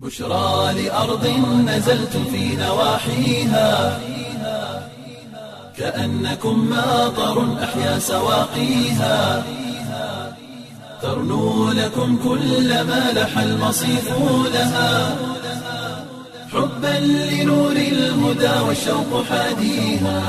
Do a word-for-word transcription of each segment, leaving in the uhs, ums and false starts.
بشرى لأرض نزلت في نواحيها كأنكم ماطر أحيا سواقيها ترنو لكم كل ما لح المصيف لها حبا لنور الهدى والشوق حاديها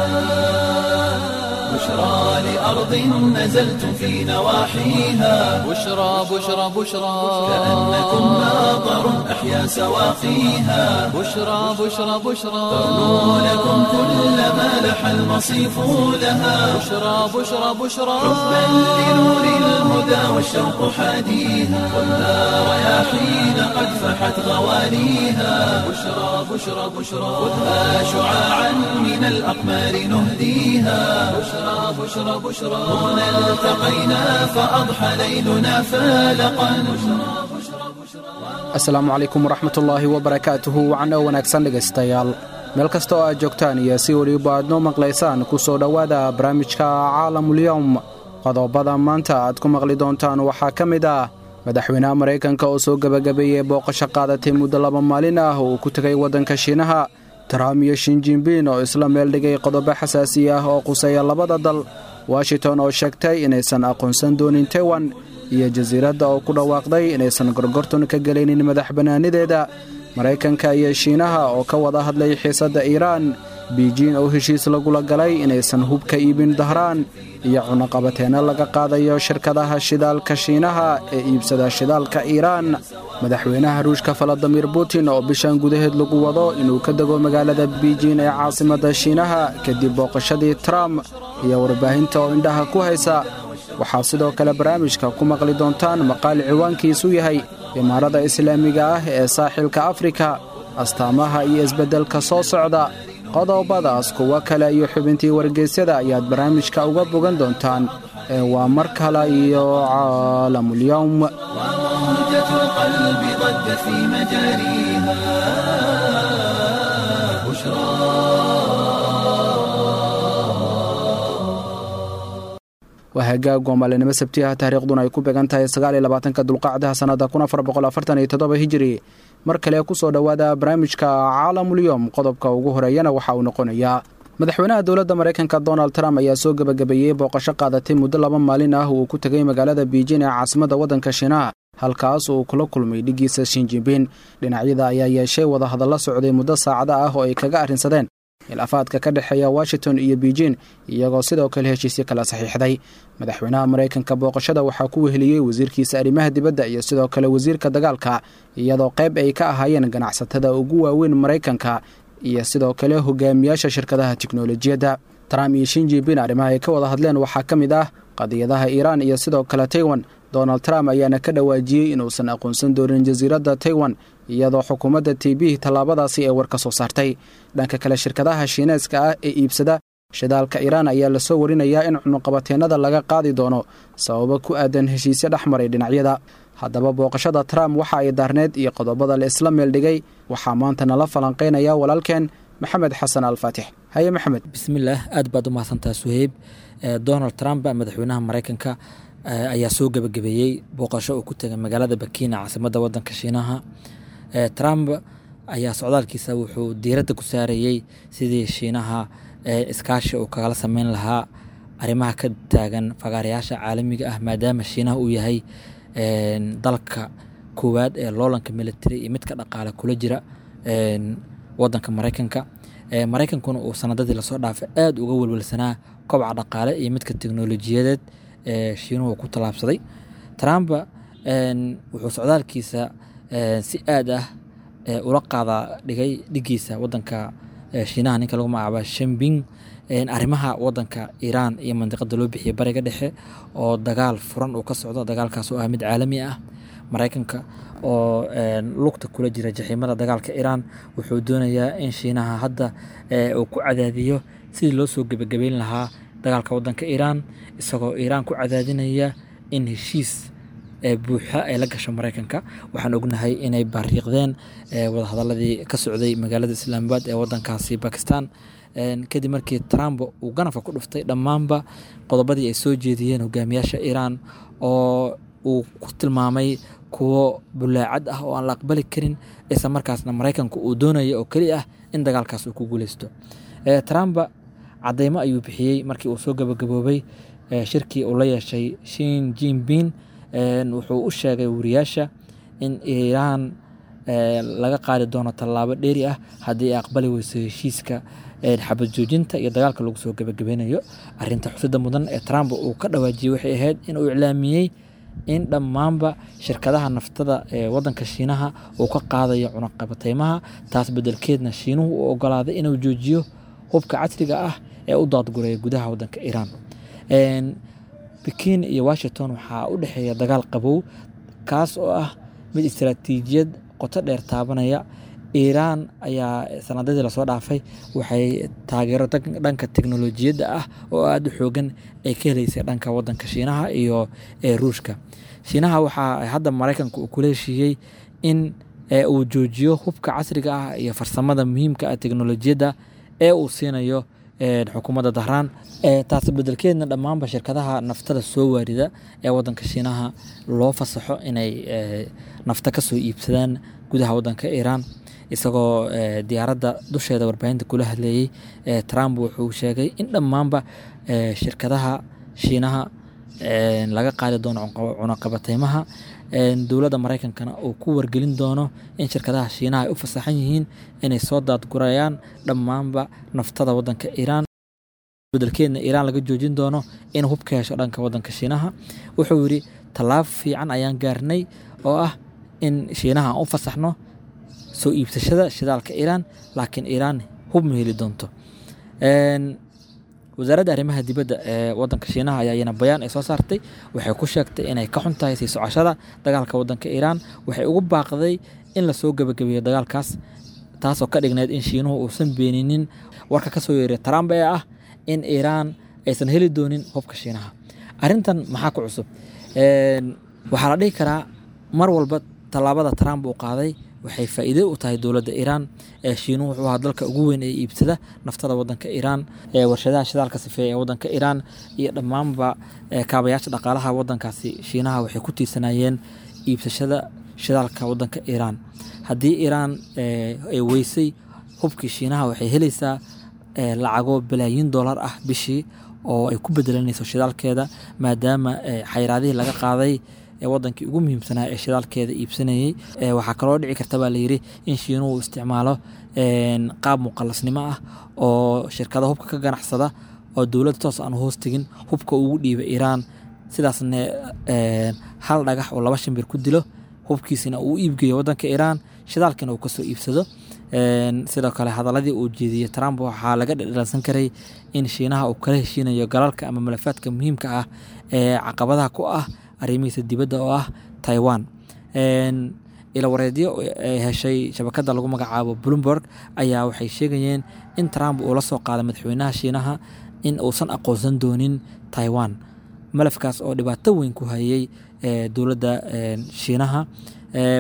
بشرى لأرض نزلت في نواحيها بشرى بشرى بشرى كأنكم ماطر أحيا سواقيها بشرى بشرى بشرى ترنو لكم كل ما لح المصيف لها بشرى بشرى بشرى حبا لنور الهدى والشوق حاديها والنار يا حين قد فحت غوانيها بشرى بشرى بشرى خذها شعاعا من الأقمار نهديها بشرى بشرى بشرى هنا التقينا فأضحى ليلنا فالقا. Asalaamu calaykum waraxmatullaahi wabarakaatuhu. Wacan oo wanaagsan dhegaystayaal, meel kasta oo aad joogtaan iyo si weliba aad noo maqlaysaan, ku soo dhowaada barnaamijka Caalamulyowm. Qodobada maanta aad ku maqli doontaan waxaa ka mid ah madaxweynaha Maraykanka oo soo gebagabeeyey booqasho qaadatay muddo laba maalin ah oo uu ku tegay waddanka Shiinaha, Trump iyo Shinjinbin oo isla meel dhigay qodobo xasaasi ah oo quseeya labada dal, Washington oo sheegtay inaysan aqoonsan doonin Taiwan, iyo jasiiradda oo ku dhawaaqday inaysan gorgorton ka gelaynin madax bannaanideeda, Maraykanka iyo Shiinaha oo ka wada hadlay xiisadda Iiraan, Biijin oo heshiis lagula galay inaysan hub ka iibin Dahraan, iyo cunaqabateenno laga qaadayo shirkadaha shidaalka Shiinaha ee iibsada shidaalka Iiraan, madaxweynaha Ruushka Valadimir Putin oo bishan gudaheed lagu wado inuu ka dego magaalada Biijin ee caasimadda Shiinaha kadib booqashadii Trump, iyo warbaahinta oo indhaha ku haysa. Waxaa sidoo kale barnaamijka ku maqli doontaan maqaal ciwaankiisu yahay Imaarada Islaamiga ah ee Saaxilka Afrika, astaamaha iyo isbeddelka soo socda. Qodobadaas, kuwo kale iyo xubintii wargeysyada ayaad barnaamijka uga bogan doontaan ee waa mar kale iyo Caalamulyowm. وموجة القلب ضجت في مجاريها بشرى. Waa hagaag, waa maalinimo Sabtiyaha, taariikhduna ay ku beegan tahay sagaal iyo labaatanka Dulqacdaha sannada kun afar boqol afartan iyo toddoba Hijiri. Mar kale ku soo dhowaada barnaamijka Caalamulyowm. Qodobka ugu horeeyana waxa uu noqonayaa madaxweynaha dowladda Maraykanka Donald Trump ayaa soo gebagabeeyey booqasho qaadatay muddo laba maalin ah uu ku tegay magaalada Biijin ee caasimadda waddanka Shiinaha, halkaas uu kula kulmay dhiggiisa Shinjinbin. Dhinacyada ayaa yeeshay wadahadallo socday muddo saacada ah oo ay kaga arrinsadeen khilaafaadka ka dhexeeya Washington iyo Beijing, iyagoo sidoo kale heshiisyo kala saxiixday. Madaxweynaha Maraykanka booqashada waxaa ku weheliyey wasiirkiisa arrimaha dibadda iyo sidoo kale wasiirka dagaalka, iyadoo qayb ay ka ahaayeen ganacsatada ugu waaweyn Maraykanka iyo sidoo kale hogaamiyaasha shirkadaha tiknolojiyadda. Trump iyo Shinjibin arrimaha ay ka wada hadleen waxaa ka mid ah qadiyadaha Iiraan iyo sidoo kale Taiwan. Donald Trump ayaana ka dhawaajiyey inuusan aqoonsan doonin jasiiradda Taiwan, iyadoo xukuumadda T B tallaabadaasi ay war ka soo saartay. Dhanka kale, shirkadaha Shiineeska ah ee iibsada shidaalka Iiraan ayaa lasoo warinayaa in cunuqabateennada laga qaadi doono sababo ku aadan heshiisyo dhex maray dhinacyada. Haddaba booqashada Trump waxa ay daarneed iyo qodobada la isla meel dhigay waxaa maanta nala falanqaynaya walaalkeen Maxamed Xasan Alfaatix. Haye Maxamed. Bismillaah, aad baad u mahadsantaha Suheyb. Donald Trump, madaxweynaha Maraykanka, ayaa soo gebagabeeyey booqasho uu ku tegay magaalada Bakiina, caasimadda wadanka Shiinaha. Trump ayaa socdaalkiisa wuxuu diiradda ku saarayey sidii Shiinaha iskaashi uu kagala sameyn lahaa arrimaha ka taagan fagaarayaasha caalamiga ah, maadaama Shiinaha uu yahay dalka koowaad ee loolanka military iyo midka dhaqaale kula jira wadanka Maraykanka. Maraykankuna uu sanadadii lasoo dhaafay aada uga welwelsanaa kobca dhaqaale iyo midka teknolojiyadeed ee Shiinuhu ku tallaabsaday. Trump wuxuu socdaalkiisa si aad ah ula qaada dhigay dhigiisa wadanka Shiinaha, ninka lagu magacaaba Shinping, arrimaha wadanka Iiraan iyo mandiqada loo bixiyay Bariga Dhexe oo dagaal furan uu ka socdo, dagaalkaas oo ah mid caalami ah. Maraykanka oo lugta kula jira jaxiimada dagaalka Iiraan wuxuu doonayaa in Shiinaha hadda uu ku cadaadiyo sidii loo soo gebagabeyn lahaa dagaalka wadanka Iiraan, isagoo Iiraan ku cadaadinaya in heshiis buuxa ay la gasho Maraykanka. Waxaan ognahay inay bariiqdeen wadahadaladii ka socday magaalada Islaamabad ee wadankaasi Bakistan, kadib markii Trump uu ganafka ku dhuftay dhammaanba qodobadii ay soo jeediyeen hogaamiyaasha Iiraan oo uu ku tilmaamay kuwo bulaacad ah oo aan la aqbali karin, isla markaasna Maraykanku uu doonayo oo keli ah in dagaalkaas uu ku guuleysto. Trump cadeymo ayuu bixiyey markii uu soo gabagaboobay shirkii uu la yeeshay Xi Jinping. Wuxuu u sheegay wariyaasha in Iiraan laga qaadi doono tallaabo dheeri ah haddii ay aqbali weyso heshiiska xabad joojinta iyo dagaalka lagu soo gabagabeynayo. Arrinta xusida mudan ee Trump uu ka dhawaajiyey waxay ahayd in uu iclaamiyey in dhammaanba shirkadaha naftada ee wadanka Shiinaha uu ka qaadayo cunaqabateymaha, taas beddelkeedna Shiinuhu uu ogolaaday inuu joojiyo hubka casriga ah ee u daadguraya gudaha wadanka Iiraan. Pekin iyo Washington waxaa u dhexeeya dagaal qabow, kaas oo ah mid istiraatiijiyad qoto dheer taabanaya. Iiraan ayaa sanadadii lasoo dhaafay waxay taageero dhanka teknolojiyadda ah oo aada u xoogan ay ka heleysay dhanka wadanka Shiinaha iyo Ruushka. Shiinaha waxaa hadda Maraykanka uu kula heshiiyey in uu joojiyo hubka casriga ah iyo farsamada muhiimka ah teknolojiyadda ee uu siinayo xukuumadda Dahraan, taasi bedelkeedna dhammaanba shirkadaha naftada soo waarida ee wadanka Shiinaha loo fasaxo inay nafta ka soo iibsadaan gudaha wadanka Iiraan. Isagoo diyaaradda dusheeda warbaahinta kula hadlayey, Trump wuxuu sheegay in dhammaanba shirkadaha Shiinaha laga qaadi doono cunaqabateymaha, dowladda Maraykankana uu ku wargelin doono in shirkadaha Shiinaha ay u fasaxan yihiin inay soo daadgurayaan dhammaanba naftada wadanka Iiraan, bedelkeedna Iiraan laga joojin doono in hub ka hesho dhanka wadanka Shiinaha. Wuxuu yidhi tallaabo fiican ayaan gaarnay oo ah in Shiinaha aan u fasaxno soo iibsashada shidaalka Iiraan, laakiin Iiraan hub ma heli doonto. Wasaaradda arrimaha dibadda ee wadanka Shiinaha ayaa iyana bayaan ay soo saartay waxay ku sheegtay inay ka xun tahay sii socoshada dagaalka wadanka Iiraan. Waxay ugu baaqday in lasoo gabagabeeyo dagaalkaas, taasoo ka dhigneyd in Shiinuhu uusan beeninin warka ka soo yeeray Trump ee ah in Iiraan aysan heli doonin hubka Shiinaha. Arrintan maxaa ku cusub? Waxaa la dhihi karaa mar walba tallaabada Trump uu qaaday waxay faa'iido u tahay dowladda Iiraan. Shiinuhu wuxuu ahaa dalka ugu weyn ee iibsada naftada wadanka Iiraan, warshadaha shidaalka sifeeya ee wadanka Iiraan iyo dhammaanba kaabayaasha dhaqaalaha wadankaasi Shiinaha waxay ku tiirsanayeen iibsashada shidaalka wadanka Iiraan. Haddii Iiraan ay weysay hubkii Shiinaha, waxay helaysaa lacago balaayiin dollar ah bishii oo ay ku bedelanayso shidaalkeeda, maadaama xayiraadihii laga qaaday wadankii ugu muhiimsanaa ee shidaalkeeda iibsanayey. Waxaa kaloo dhici karta baa layiri in Shiinuhu uu isticmaalo qaab muqalasnimo ah oo shirkada hubka ka ganacsada oo dowladda toos aan hoos tegin hubka ugu dhiiba Iiraan, sidaasna hal dhagax oo laba shimbir ku dilo, hubkiisina uu iibgeeyo wadanka Iiraan, shidaalkina uu kasoo iibsado. Sidoo kale hadaladii uu jeediyey Trump waxaa laga dhadhansan karay in Shiinaha uu kala heshiinayo galalka ama malafaadka muhiimka ah ee caqabadaha ku ah arrimihiisa dibadda oo ah Taiwan. Ilawareedyo ay heshay shabakada lagu magacaabo Bloomberg ayaa waxay sheegayeen in Trump uu la soo qaaday madaxweynaha Shiinaha in uusan aqoonsan doonin Taiwan, malafkaas oo dhibaato weyn ku hayay dowladda Shiinaha.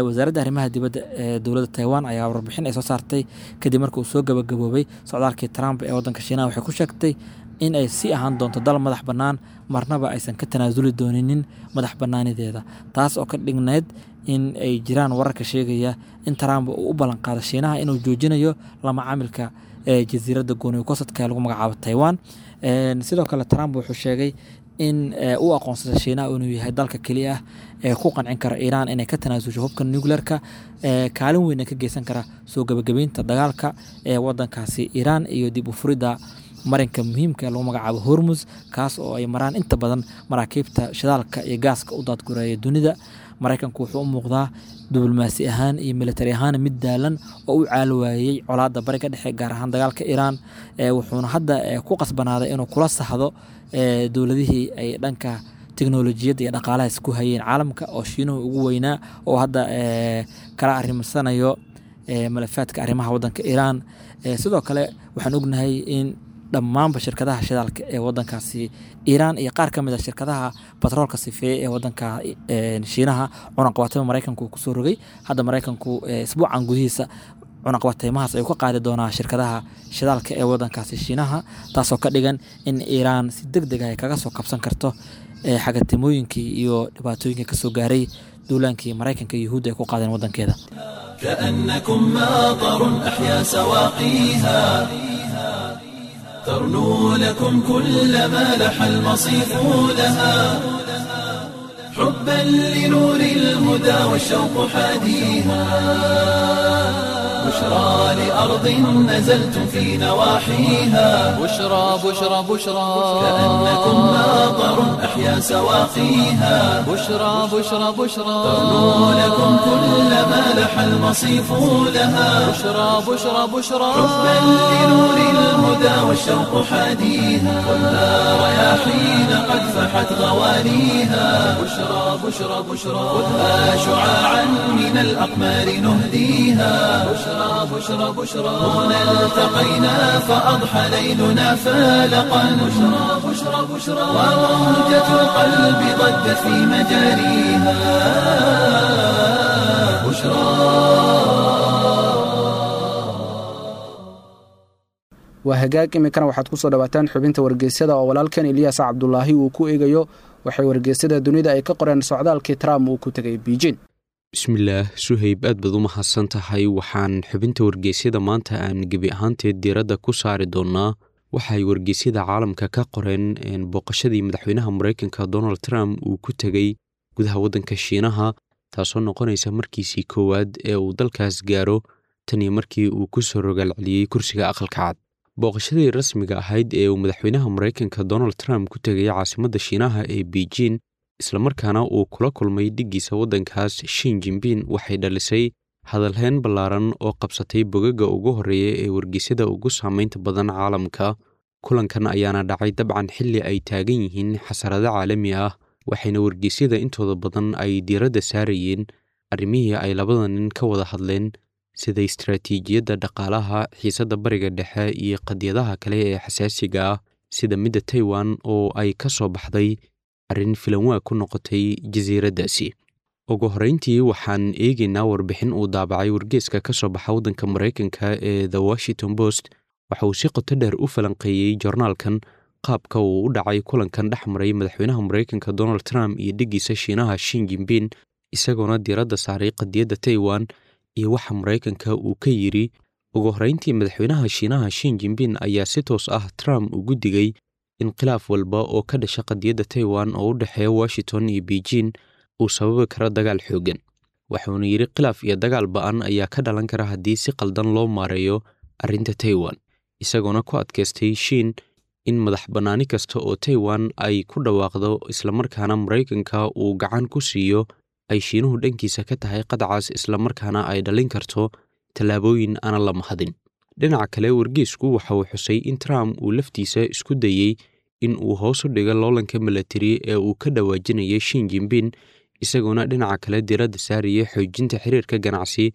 Wasaaradda arrimaha dibadda ee dowladda Taiwan ayaa warbixin ay soo saartay kadib markii uu soo gabagaboobay socdaalkii Trump ee wadanka Shiinaha waxay ku sheegtay in ay sii ahaan doonto dal madax bannaan, marnaba aysan ka tanaasuli dooninin madax bannaanideeda, taas oo ka dhigneyd in ay jiraan wararka sheegaya in Trump uu u ballan qaado Shiinaha inuu joojinayo lama caamilka ee jasiiradda gooni gosadka ee lagu magacaabo Taiwan. Sidoo kale Trump wuxuu sheegay in uu aqoonsaday Shiinaha inuu yahay dalka keliya ah ee ku qancin kara Iiraan inay ka tanaasusho hubka nuclearka, kaalin weyn ka geysan kara soo gabagabeynta dagaalka ee wadankaasi Iiraan iyo dib u furidda marinka muhiimka ee lagu magacaabo Hormuz, kaas oo ay maraan inta badan maraakiibta shidaalka iyo gaaska u daadgureeya dunida. Maraykanku wuxuu u muuqdaa diblomaasi ahaan iyo militari ahaan mid daalan oo u caal waayey colaadda bariga dhexe, gaar ahaan dagaalka Iiraan, wuxuuna hadda ku qasbanaaday inuu kula sahdo dowladihii ay dhanka teknolojiyadda iyo dhaqaalaha isku hayeen caalamka oo Shiinuhu ugu weynaa, oo hadda kala arrimisanayo malafaadka arrimaha wadanka Iiraan. Sidoo kale waxaan ognahay in dhammaanba shirkadaha shidaalka ee wadankaasi Iiraan iyo qaar ka mid a shirkadaha batroolka sifeeye ee wadanka Shiinaha cunaqabateymo Maraykanku uu kusoo rogay. Hadda Maraykanku isbuucan gudihiisa cunaqabateymahaas ayuu ka qaadi doonaa shirkadaha shidaalka ee wadankaasi Shiinaha, taasoo ka dhigan in Iiraan si deg deg ah ay kaga soo kabsan karto xagatimooyinkii iyo dhibaatooyinkii kasoo gaaray Duulaankii Maraykanka iyo Yuhuudda ay ku qaadeen waddankeeda. كأنكم ماطر أحيا سواقيها، ترنو لكم كل ما لح المصيف لها، حبا لنور الهدى والشوق حاديها، بشرى لأرض نزلتم في نواحيها، بشرى بشرى بشرى، كأنكم ماطر أحيا سواقيها، بشرى بشرى بشرى، ترنو لكم كل ما لح المصيف لها، بشرى بشرى بشرى، حبا لنور الهدى والشوق حاديها، خذها رياحين قد فحت غوانيها، بشرى بشرى بشرى، خذها شعاعا من الأقمار نهديها، بشرى بشرى بشرى، هنا التقينا فأضحى ليلنا فالقا، بشرى بشرى بشرى، وموجة القلب ضجت في مجاريها. بشرى. Waa hagaag, iminkana waxaad ku soo dhawaataan xubinta wargeysyada oo walaalkan Eliyaas Cabdulaahi uu ku eegayo waxay wargeysyada dunida ay ka qoreen socdaalkii Trump uu ku tegay Beijing. Bismillaah Suhayb, aad baad u mahadsan tahay. Waxaan xubinta wargeysyada maanta aan gebi ahaanteed diiradda ku saari doonnaa waxay wargeysyada caalamka ka qoreen booqashadii madaxweynaha Maraykanka Donald Trump uu ku tegey gudaha waddanka Shiinaha, taasoo noqonaysa markiisii koowaad ee uu dalkaas gaaro tan iyo markii uu ku soo rogaal celiyey kursiga Aqalka Cad. Booqashadii rasmiga ahayd ee uu madaxweynaha Maraykanka Donald Trump ku tegay caasimadda Shiinaha ee Beijing, islamarkaana uu kula kulmay dhiggiisa waddankaas Xi Jinping, waxay dhalisay hadalhayn ballaaran oo qabsatay bogagga ugu horreeya ee wargeysyada ugu saameynta badan caalamka. Kulankan ayaana dhacay dabcan xilli ay taagan yihiin xasarado caalami ah, waxayna wargeysyada intooda badan ay diiradda saarayeen arrimihii ay labada nin ka wada hadleen, sida istaraatiijiyadda dhaqaalaha, xiisadda Bariga Dhexe iyo qadiyadaha kale ee xasaasiga ah, sida midda Taiwan oo ay ka soo baxday arrin filanwaa ku noqotay jasiiraddaasi. Ugu horreyntii waxaan eegaynaa warbixin uu daabacay wargeeska ka soo baxa waddanka Maraykanka ee The Washington Post. Waxa uu si qoto dheer u falanqeeyey joornaalkan qaabka uu u dhacay kulankan dhex maray madaxweynaha Maraykanka Donald Trump iyo dhiggiisa Shiinaha Xi Jinping, isagoona diiradda saaray qadiyadda Taiwan iyo waxa Maraykanka uu ka yidhi. Ugu horreyntii madaxweynaha Shiinaha Xi Jinping ayaa si toos ah Trump ugu digay in khilaaf walba oo ka dhasha qadiyadda Taiwan oo u dhexeeya Washington iyo Beijing uu sababi karo dagaal xooggan. Waxuuna yidhi khilaaf iyo dagaal ba'an ayaa ka dhalan kara haddii si qaldan loo maareeyo arrinta Taiwan, isagoona ku adkaystay Shiin in madax bannaani kasta oo Taiwan ay ku dhawaaqdo islamarkaana Maraykanka uu gacan ku siiyo ay Shiinuhu dhankiisa ka tahay qadcaas, islamarkaana ay dhalin karto tallaabooyin aanan la mahadin. Dhinaca kale wargeysku waxa uu xusay in Trump uu laftiisa isku dayey in uu hoos u dhigo loolanka milatari ee uu ka dhawaajinayay Xi Jinping, isagoona dhinaca kale diiradda saaraya xoojinta xiriirka ganacsi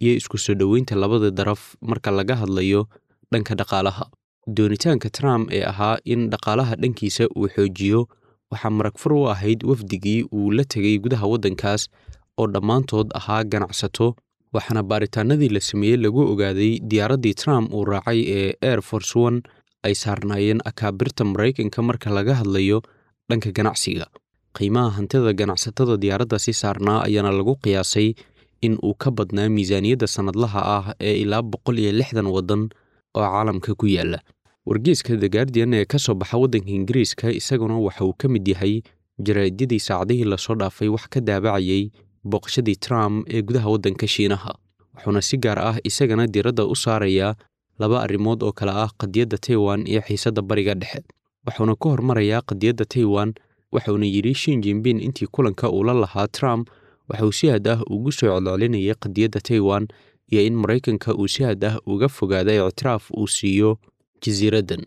iyo isku soo dhoweynta labada daraf marka laga hadlayo dhanka dhaqaalaha. Doonitaanka Trump ee ahaa in dhaqaalaha dhankiisa uu xoojiyo waxaa maragfur u ahayd wafdigii uu la tegay gudaha waddankaas oo dhammaantood ahaa ganacsato, waxaana baaritaanadii la sameeyey lagu ogaaday diyaaraddii Trump uu raacay ee Air Force One ay saarnaayeen akaabirta Maraykanka marka laga hadlayo dhanka ganacsiga. Qiimaha hantida ganacsatada diyaaraddaasi saarnaa ayaana lagu qiyaasay in uu ka badnaa miisaaniyadda sannadlaha ah ee ilaa boqol iyo lixdan waddan oo caalamka ku yaalla. Wargeyska The Guardian ee ka soo baxa waddanka Ingiriiska isaguna waxa uu ka mid yahay jaraa'idadii saacadihii lasoo dhaafay wax ka daabacayay booqashadii Trump ee gudaha waddanka Shiinaha, wuxuuna si gaar ah isagana diiradda u saarayaa laba arrimood oo kale ah qadiyadda Taiwan iyo xiisadda Bariga Dhexe. Wuxuuna ku hormarayaa qadiyadda Taiwan, waxuuna yidhi Xi Jinping intii kulanka uu la lahaa Trump waxa uu si aad ah ugu soo celcelinayay qadiyadda Taiwan iyo in Maraykanka uu si aad ah uga fogaado ictiraaf uu siiyo jasiiraddan,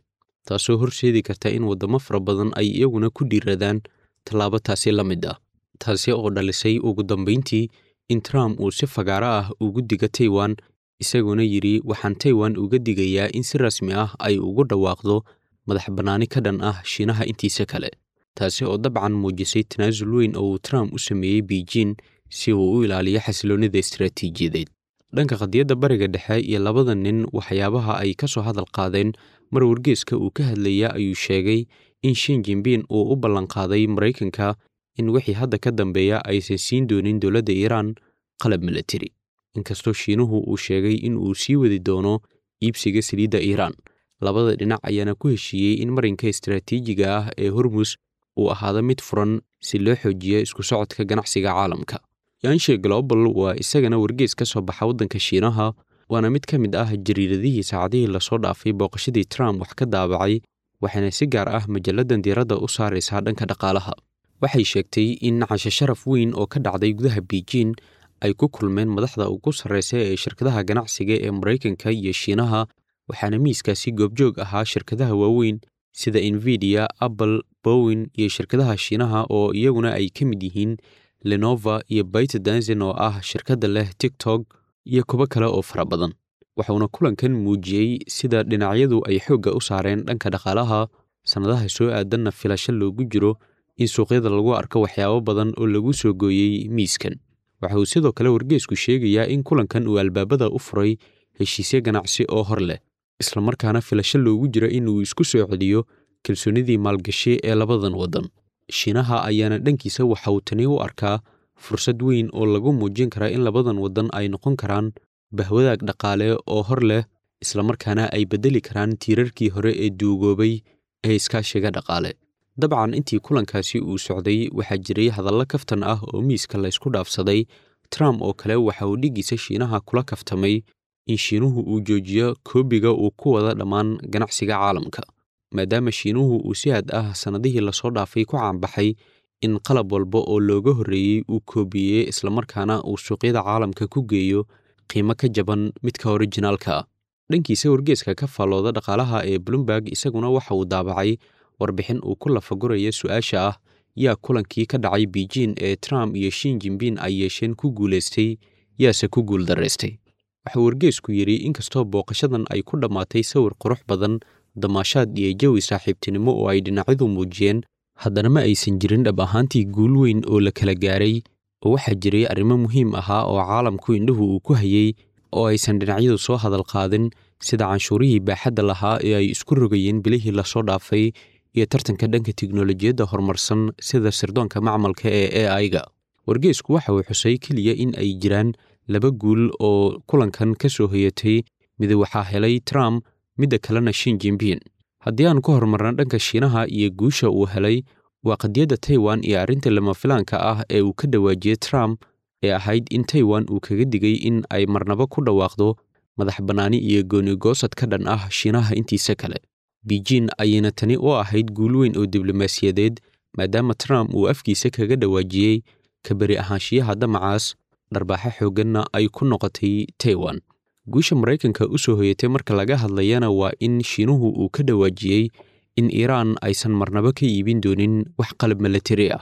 taasoo horseedi karta in waddamo fara badan ay iyaguna ku dhiiradaan tallaabo taasi la mid ah, taasi oo dhalisay ugu dambayntii in Trump uu si fagaaro ah ugu digo Taiwan, isagoona yidhi waxaan Taiwan uga digayaa in si rasmi ah ay ugu dhawaaqdo madax bannaani ka dhan ah Shiinaha intiisa kale, taasi oo dabcan muujisay tanaasul weyn oo uu Trump u sameeyey Beijing si uu u ilaaliyo xasiloonnida istaraatiijiyadeed. Dhanka qadiyadda Bariga Dhexe iyo labada nin waxyaabaha ay ka soo hadal qaadeen mar wargeyska uu ka hadlaya ayuu sheegay in Xi Jinping uu u ballanqaaday Maraykanka In wixii hadda ka dambeeya aysan siin doonin dowladda Iiraan qalab milatari, inkastoo Shiinuhu uu sheegay in uu sii wadi doono iibsiga saliidda Iiraan. Labada dhinac ayaana ku heshiiyey in marinka istaraatiijiga ah ee Hormus uu ahaado mid furan si loo xoojiyo isku socodka ganacsiga caalamka. Yanshe Global waa isagana wargeys ka soo baxa waddanka Shiinaha, waana mid ka mid ah jariiradihii saacadihii lasoo dhaafay booqashadii Trump wax ka daabacay, waxayna si gaar ah majalladan diiradda u saaraysaa dhanka dhaqaalaha. Waxay sheegtay in casho sharaf weyn oo ka dhacday gudaha Beijing ay ku kulmeen madaxda ugu sarreysa ee shirkadaha ganacsiga ee Maraykanka iyo Shiinaha, waxaana miiskaasi goobjoog ahaa shirkadaha waaweyn sida Nvidia, Apple, Boeing iyo shirkadaha Shiinaha oo iyaguna ay ka mid yihiin Lenova iyo ByteDance oo ah shirkadda leh TikTok iyo kuwo kale oo fara badan. Waxauna kulankan muujiyey sida dhinacyadu ay xoogga u saareen dhanka dhaqaalaha, sannadaha soo aadanna filasho loogu jiro in suuqyada lagu arko waxyaabo badan oo lagu soo gooyey miiskan. Waxa uu sidoo kale wargeysku sheegayaa in kulankan uu albaabada u furay heshiisyo ganacsi oo hor leh, islamarkaana filasho loogu jiro in uu isku soo celiyo kalsoonidii maalgashi ee labadan waddan. Shiinaha ayaana dhankiisa waxa uu tani u arkaa fursad weyn oo lagu muujin karaa in labadan waddan ay noqon karaan bahwadaag dhaqaale oo hor leh, islamarkaana ay beddeli karaan tiirarkii hore ee duugoobay ee iskaashiga dhaqaale. Dabcan intii kulankaasi uu socday waxaa jiray hadallo kaftan ah oo miiska laysku dhaafsaday. Trump oo kale waxa uu dhiggiisa Shiinaha kula kaftamay in Shiinuhu uu joojiyo koobiga uu ku wada dhammaan ganacsiga caalamka, maadaama Shiinuhu uu si aad ah sannadihii lasoo dhaafay ku caanbaxay in qalab walba oo looga horreeyey uu koobiyey, islamarkaana uu suuqyada caalamka ku geeyo qiimo ka jaban midka orijinaalka ah. Dhankiisa wargeeska ka faallooda dhaqaalaha ee Bloomberg isaguna waxa uu daabacay warbixin uu ku lafaguraya su-aasha ah: yaa kulankii ka dhacay Beijing ee Trump iyo Xi Jinping ay yeesheen ku guulaystay, yaase ku guuldaraystay? Waxaa wargeysku yidhi inkastoo booqashadan ay ku dhammaatay sawir qurux badan, damaashaad iyo jawi saaxiibtinimo oo ay dhinacyadu muujiyeen, haddana ma aysan jirin dhab ahaantii guul weyn oo la kala gaaray, oo waxaa jiray arrimo muhiim ahaa oo caalamku indhuhu uu ku hayey oo aysan dhinacyadu soo hadal qaadin, sida canshuurihii baaxadda lahaa ee ay isku rogayeen bilihii lasoo dhaafay iyo tartanka dhanka tiknolojiyadda horumarsan sida sirdoonka macmalka ee A I-ga. Wargeysku waxa uu xusay keliya in ay jiraan laba guul oo kulankan ka soo hoyatay: mid waxaa helay Trump, midda kalena Xi Jinping. Haddii aan ku horumarno dhanka Shiinaha iyo guusha uu helay, waa qadiyadda Taiwan iyo arrinta lama filaanka ah ee uu ka dhawaajiyey Trump ee ahayd in Taiwan uu kaga digay in ay marnaba ku dhawaaqdo madax bannaani iyo gooni-goosad ka dhan ah Shiinaha intiisa kale. Beijing ayayna tani u ahayd guul weyn oo diblomaasiyadeed, maadaama Trump uu afkiisa kaga dhawaajiyey ka beri ahaanshiyaha damacaas, dharbaaxo xoogganna ay ku noqotay Taiwan. Guusha Maraykanka u soo hoyatay marka laga hadlayana waa in Shiinuhu uu ka dhawaajiyey in Iiraan aysan marnaba ka iibin doonin wax qalab milatari ah.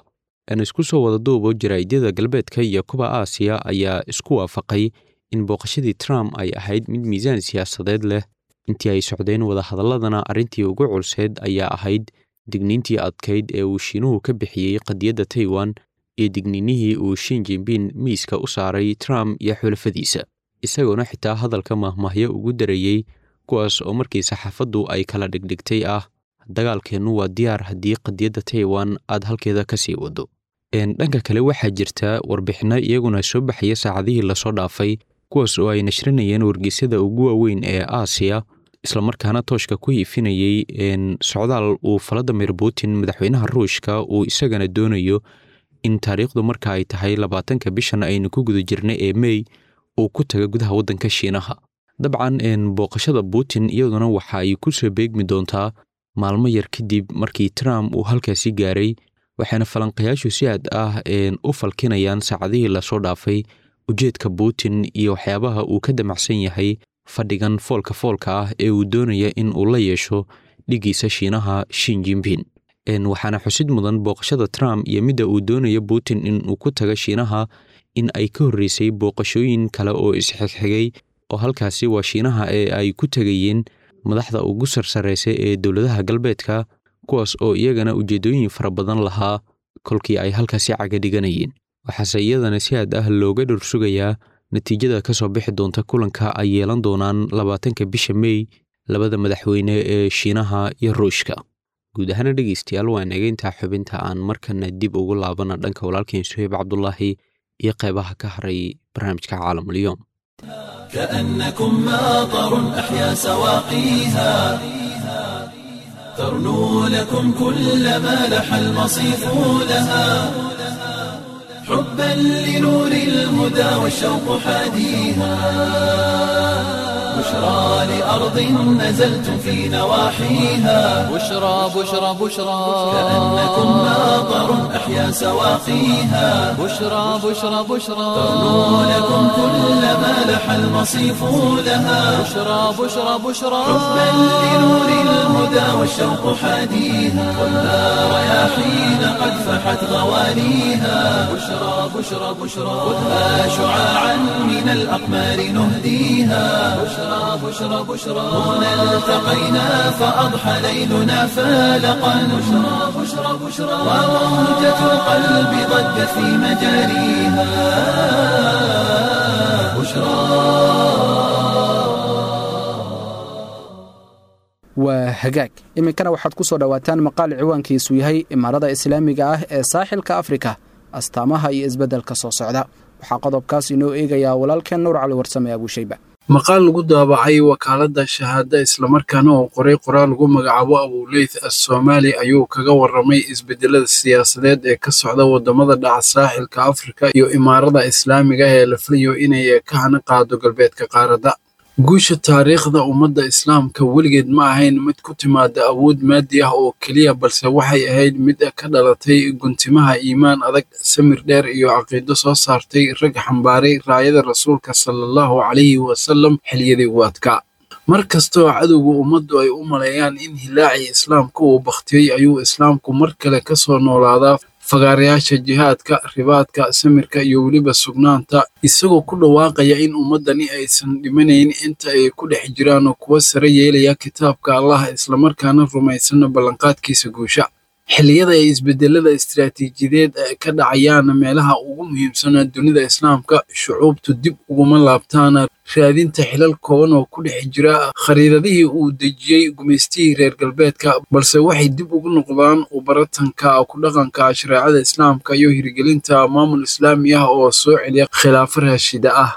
Aan isku soo wada duubo, jaraa'idyada galbeedka iyo kuwa Aasiya ayaa isku waafaqay in booqashadii Trump ay ahayd mid miisaan siyaasadeed leh. Intii ay socdeen wadahadalladana arrintii ugu culseed ayaa ahayd digniintii adkayd ee uu Shiinuhu ka bixiyey qadiyadda Taiwan iyo digniinihii uu Xi Jinping miiska u saaray Trump iyo xulafadiisa, isagoona xitaa hadalka mahmahyo ugu darayey, kuwaas oo markii saxaafaddu ay kala dhigdhigtay ah: dagaalkeennu waa diyaar haddii qadiyadda Taiwan aad halkeeda ka sii waddo. Dhanka kale waxaa jirta warbixinno iyaguna soo baxaya saacadihii lasoo dhaafay, kuwaas oo ay nashrinayeen wargeysyada ugu waaweyn ee Aasiya, islamarkaana tooshka ku hiifinayey socdaal uu Vladimir Putin madaxweynaha Ruushka uu isagana doonayo in taariikhdu marka ay tahay labaatanka bishan aynu ku guda jirnay ee May uu ku taga gudaha waddanka Shiinaha. Dabcan booqashada Putin iyaduna waxa ay ku soo beegmi doontaa maalmo yar kadib markii Trump uu halkaasi gaaray, waxaana falanqayaashu si aad ah u falkinayaan saacadihii lasoo dhaafay ujeedka Putin iyo waxyaabaha uu ka damacsan yahay fadhigan foolka foolka ah ee uu doonaya in uu la yeesho dhiggiisa Shiinaha Xi Jinping. Waxaana xusid mudan booqashada Trump iyo midda uu doonayo Putin in uu ku taga Shiinaha in ay ka horreysay booqashooyin kale oo isxigxigay oo halkaasi waa Shiinaha ee ay ku tegayeen madaxda ugu sarsareysa ee dowladaha galbeedka, kuwaas oo iyagana ujeeddooyin fara badan lahaa kolkii ay halkaasi caga dhiganayeen. Waxaase iyadana si aad ah looga dhursugayaa natiijada ka soo bixi doonta kulanka ay yeelan doonaan labaatanka bisha May labada madaxweyne ee Shiinaha iyo Ruushka. Guud ahaana dhegeystayaal, waa inaga intaa xubinta. Aan markana dib ugu laabana dhanka walaalkeen Suheyb Cabdulaahi iyo qeybaha ka haray barnaamijka Caalamulyoom. كأنكم ماطر أحيا سواقيها ترنو لكم كل ما لح المصيف لها حبا لنور الهدى والشوق حاديها بشرى لأرض نزلتم في نواحيها بشرى بشرى بشرى كأنكم ماطر أحيا سواقيها بشرى بشرى بشرى ترنو لكم كل ما لح المصيف لها بشرى بشرى بشرى حبا لنور الهدى والشوق حاديها خذها رياحين قد فحت غوانيها بشرى بشرى بشرى خذها شعاعا من الأقمار نهديها بشرى بشرى بشرى هنا التقينا فأضحى ليلنا فالقا بشرى بشرى بشرى وموجة القلب ضجت في مجاريها بشرى. Waa hagaag, iminkana waxaad ku soo dhowaataan maqaal ciwaankiisu yahay Imaarada Islaamiga ah ee Saaxilka Afrika, astaamaha iyo isbeddelka soo socda. Waxaa qodobkaas inoo eegayaa walaalkeen Nuur Cali Warsame Abuushayba. Maqaal lagu daabacay wakaaladda Shahaada, islamarkaana oo qoray qoraal lagu magacaabo Abuleyth Asoomaali, ayuu kaga warramay isbedelada siyaasadeed ee ka socda waddamada dhaca saaxilka Afrika iyo imaarada islaamiga ah ee la filayo inay ka hana qaado galbeedka qaaradda. Guusha taariikhda ummadda islaamka weligeed ma ahayn mid ku timaada awood maadi ah oo keliya, balse waxay ahayd mid ka dhalatay guntimaha iimaan adag, samir dheer iyo caqiido soo saartay rag xambaaray raayada rasuulka salaallahu calayhi wasalam xilliyadii ugu adkaa. Mar kastoo cadowga ummaddu ay u maleeyaan in hilaacii islaamka uu bakhtiyey, ayuu islaamku mar kale ka soo noolaadaa fagaarayaasha jihaadka, ribaadka, samirka iyo weliba sugnaanta, isagoo ku dhawaaqaya in ummaddani aysan dhimanayn inta ay ku dhex jiraan kuwa sare yeelaya kitaabka Allah, islamarkaana rumaysan ballanqaadkiisa guusha. Xilliyada ay isbedelada istiraatiijiyadeed ka dhacayaan meelaha ugu muhiimsan dunida islaamka, shucuubtu dib uguma laabtaan raadinta xilal kooban oo ku dhex jira khariidadihii uu dejiyey gumaystihii reer galbeedka, balse waxay dib ugu noqdaan ubaratanka ku dhaqanka shareecada islaamka iyo hirgelinta maamul islaami ah oo soo celiya khilaafo raashida ah.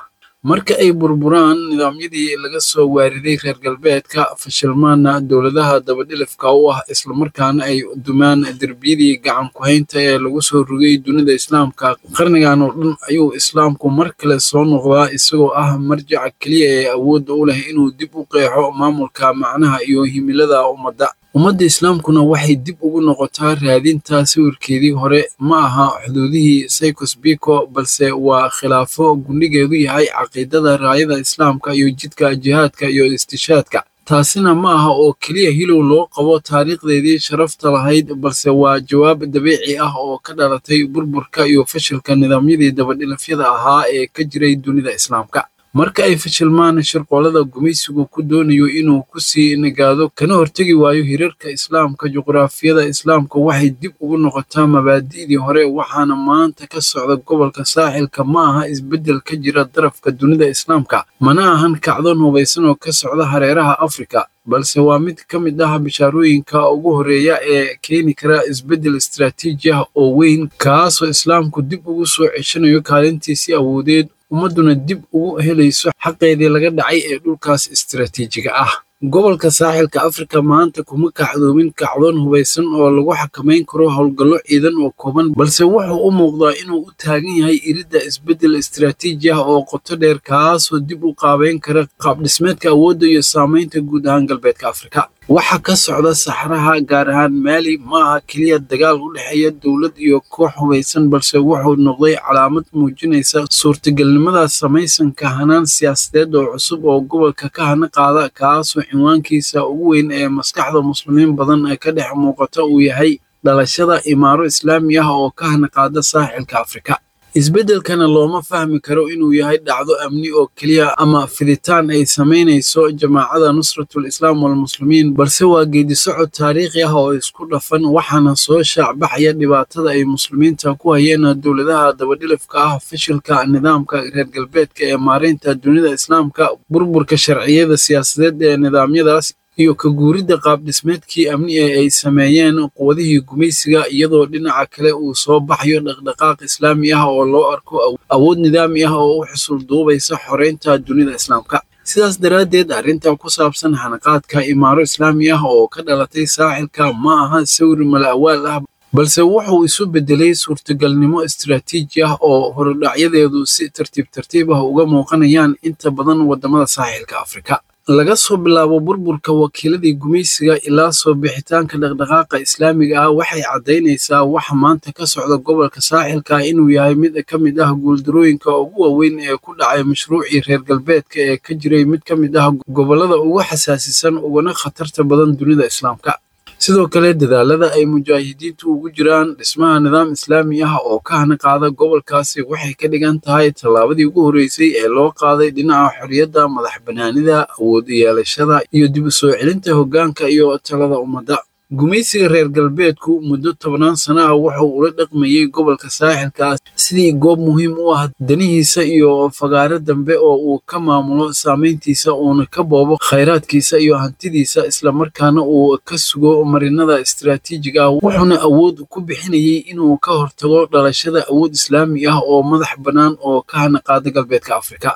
Marka ay burburaan nidaamyadii laga soo waariday reer galbeedka, fashilmaana dowladaha dabadhilifka u ah, islamarkaana ay dumaan derbiyadii gacan ku-haynta ee lagu soo rogay dunida islaamka qarnigan oo dhan, ayuu islaamku mar kale soo noqdaa isagoo ah marjaca keliya ee awoodda u leh inuu dib u qeexo maamulka, macnaha iyo himilada ummadda. Ummadda islaamkuna waxay dib ugu noqotaa raadinta sawirkeedii hore. Ma aha xuduudihii Saykos Biko, balse waa khilaafo gundhigeedu yahay caqiidada raayada islaamka iyo jidka jihaadka iyo istishaadka. Taasina ma aha oo keliya hilow loo qabo taariikhdeedii sharafta lahayd, balse waa jawaab dabiici ah oo ka dhalatay burburka iyo fashilka nidaamyadii dabadhilafyada ahaa ee ka jiray dunida islaamka. Marka ay fashilmaan shirqoolada gumaysigu ku doonayo inuu ku sii nagaado kana hortegi waayo hirarka islaamka, juqraafiyada islaamka waxay dib ugu noqotaa mabaadi'dii hore. Waxaana maanta ka socda gobolka saaxilka ma aha isbeddel ka jira darafka dunida islaamka, mana ahan kacdoon hubaysan oo ka socda hareeraha Afrika, balse waa mid ka mid ah bishaarooyinka ugu horreeya ee keeni kara isbeddel istiraatiiji ah oo weyn, kaasoo islaamku dib ugu soo ceshanayo kaalintiisii awoodeed, ummadduna dib ugu helayso xaqeedii laga dhacay ee dhulkaas istiraatiijiga ah. Gobolka saaxilka Afrika maanta kuma kacdoomin kacdoon hubaysan oo lagu xakamayn karo howlgallo ciidan oo kooban, balse wuxuu u muuqdaa inuu u taagan yahay iridda isbeddel istiraatiiji ah oo qoto dheer, kaasoo dib u qaabeyn kara qaabdhismeedka awoodda iyo saamaynta guud ahaan galbeedka Afrika. Waxa ka socda saxraha, gaar ahaan Maali, ma aha keliya dagaal u dhexeeya dowlad iyo koox hubaysan, balse wuxuu noqday calaamad muujinaysa suurtagalnimada samaysanka hanaan siyaasadeed oo cusub oo gobolka ka hana qaada, kaasoo cinwaankiisa ugu weyn ee maskaxda muslimiin badan ka dhex muuqata uu yahay dhalashada imaaro islaami ah oo ka hana qaada saaxilka Afrika. Isbeddelkana looma fahmi karo inuu yahay dhacdo amni oo keliya ama fiditaan ay samaynayso jamaacada Nusratul Islaam walmuslimiin, balse waa geeddi-socod taariikhi ah oo isku dhafan. Waxaana soo shaacbaxaya dhibaatada ay muslimiinta ku hayeen dowladaha dabadhilifka ah, fashilka nidaamka reer galbeedka ee maareynta dunida islaamka, burburka sharciyada siyaasadeed ee nidaamyadaas, iyo ka guuridda qaabdhismeedkii amni ee ay sameeyeen quwadihii gumaysiga, iyadoo dhinaca kale uu soo baxayo dhaqdhaqaaq islaami ah oo loo arko awood nidaami ah oo u xusul duubaysa xoreynta dunida islaamka. Sidaas daraaddeed, arrinta ku saabsan hanaqaadka imaaro islaami ah oo ka dhalatay saaxilka ma aha sawir mala-awaal ah, balse wuxuu isu beddelay suurtagalnimo istiraatiiji ah oo horudhacyadeedu si tartiib tartiib ah uga muuqanayaan inta badan waddamada saaxilka Afrika. Laga soo bilaabo burburka wakiiladii gumaysiga ilaa soo bixitaanka dhaqdhaqaaqa islaamiga ah, waxay caddaynaysaa waxa maanta ka socda gobolka saaxilka inuu yahay mid ka mid ah guuldarooyinka ugu waaweyn ee ku dhacay mashruucii reer galbeedka ee ka jiray mid ka mid ah gobollada ugu xasaasisan uguna khatarta badan dunida islaamka. Sidoo kale, dadaalada ay mujaahidiintu ugu jiraan dhismaha nidaam islaami ah oo ka hanaqaada gobolkaasi waxay ka dhigan tahay tallaabadii ugu horreysay ee loo qaaday dhinaca xorriyadda, madax bannaanida, awood yeelashada iyo dib u soo celinta hoggaanka iyo talada ummadda. Gumaysiga reer galbeedku muddo tobannaan sano ah wuxuu ula dhaqmayay gobolka saaxilka sidii goob muhiim u ah danihiisa iyo fagaare dambe oo uu ka maamulo saameyntiisa, uuna ka boobo khayraadkiisa iyo hantidiisa, islamarkaana uu ka sugo marinada istiraatiijiga ah. Wuxuuna awood ku bixinayay inuu ka hortago dhalashada awood islaami ah oo madax bannaan oo ka hanaqaada galbeedka Afrika.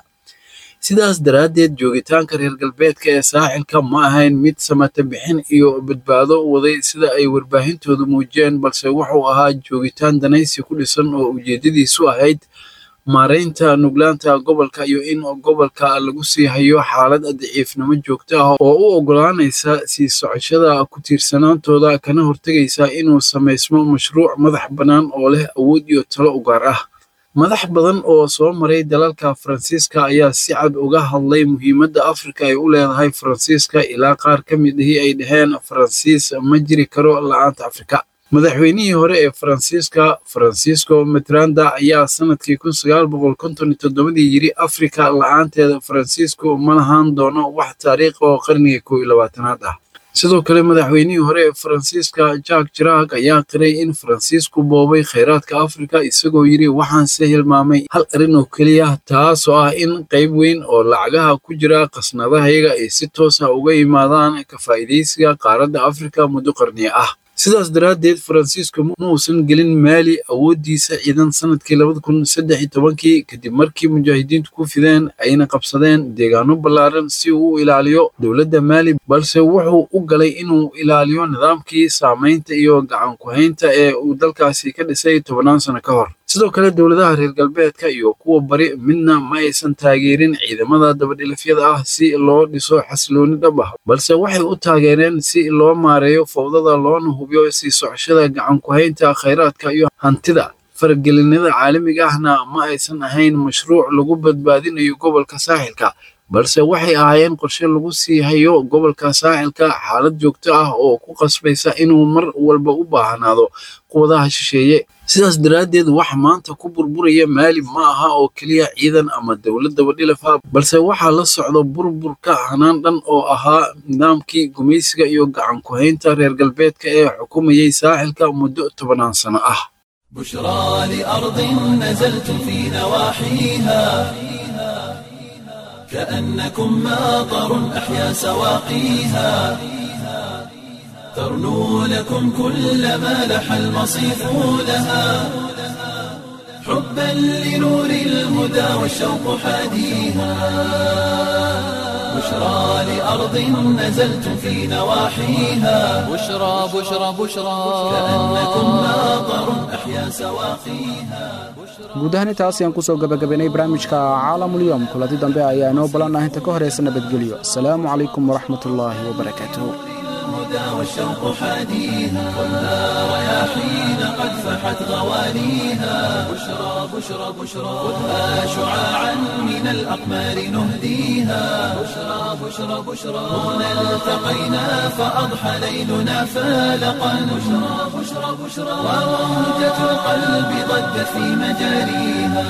Sidaas daraaddeed, joogitaanka reer galbeedka ee saaxilka ma ahayn mid samata bixin iyo badbaado waday sida ay warbaahintoodu muujiyeen, balse wuxuu ahaa joogitaan danaysi ku dhisan oo ujeeddadiisu ahayd maaraynta nuglaanta gobolka iyo in gobolka lagu sii hayo xaalad daciifnimo joogto ah oo u oggolaanaysa sii socoshada ku tiirsanaantooda, kana hortagaysa inuu samaysmo mashruuc madax bannaan oo leh awood iyo talo u gaar ah. Madax badan oo soo maray dalalka Faransiiska ayaa si cad uga hadlay muhiimadda Afrika ay u leedahay Faransiiska, ilaa qaar ka mid ahi ay dhaheen Faransiis ma jiri karo la'aanta Afrika. Madaxweynihii hore ee Faransiiska, Francisco Mitterrand, ayaa sanadkii kun sagaal boqol konton iyo toddobadii yiri Afrika la'aanteeda Faransiisku ma lahaan doono wax taariikh oo qarniga kow iyo labaatanaad ah. Sidoo kale, madaxweynihii hore ee Faransiiska Jacques Chirac ayaa qiray in Faransiisku boobay khayraadka Afrika, isagoo yiri waxaanse hilmaamay hal arrin oo keliya, taasoo ah in qayb weyn oo lacagaha ku jira khasnadahayaga ay si toos ah uga yimaadaan ka faa'iidaysiga qaaradda Afrika muddo qarniyo ah. Sidaas daraaddeed, Faransiisku ma uusan gelin Maali awooddiisa ciidan sanadkii labada kun saddex iyo tobankii kadib markii mujaahidiintu ku fideen ayna qabsadeen deegaano ballaaran si uu u ilaaliyo dowladda Maali, balse wuxuu u galay inuu ilaaliyo nidaamkii saameynta iyo gacan ku haynta ee uu dalkaasi ka dhisay tobannaan sano ka hor. Sidoo kale, dowladaha reer galbeedka iyo kuwa bari midna ma aysan taageerin ciidamada dabadhilifyada ah si loo dhiso xasilooni dhab ah, balse waxay u taageereen si loo maareeyo fowdada loona hubiyo sii socoshada gacan ku haynta khayraadka iyo hantida. Faragelinada caalamiga ahna ma aysan ahayn mashruuc lagu badbaadinayo gobolka saaxilka, balse waxay ahaayeen qorshe lagu sii hayo gobolka saaxilka xaalad joogto ah oo ku qasbaysa inuu mar walba u baahnaado quwadaha shisheeye. Sidaas daraaddeed, waxa maanta ku burburaya Maali ma aha oo keliya ciidan ama dowlad dabadhilif ah, balse waxaa la socda burburka hanaan dhan oo ahaa nidaamkii gumaysiga iyo gacan ku haynta reer galbeedka ee xukumayay saaxilka muddo tobannaan sano ah. بشرى لأرض نزلت في نواحيها كأنكم ماطر أحيا سواقيها، ترنو لكم كل ما لح المصيف لها، حبا لنور الهدى والشوق حاديها، بشرى لأرض نزلت في نواحيها بشرى بشرى بشرى كأنكم ماطر أحيا سواقيها. Guud ahaan intaas ayaan kusoo gabagabaynay barnaamijka Caalamulyoom. Kulanti dambe ayaa inoo ballan ah, inta ka horeysa nabadgelyo. Asalaamu calaykum waraxmat ullaahi wabarakaatuhu. الهدى والشوق حاديها، والنار يا حين قد فحت غوانيها، بشرى بشرى بشرى خذها شعاعا من الأقمار نهديها، بشرى بشرى بشرى هنا التقينا فأضحى ليلنا فالقا، بشرى بشرى بشرى وموجة القلب ضجت في مجاريها.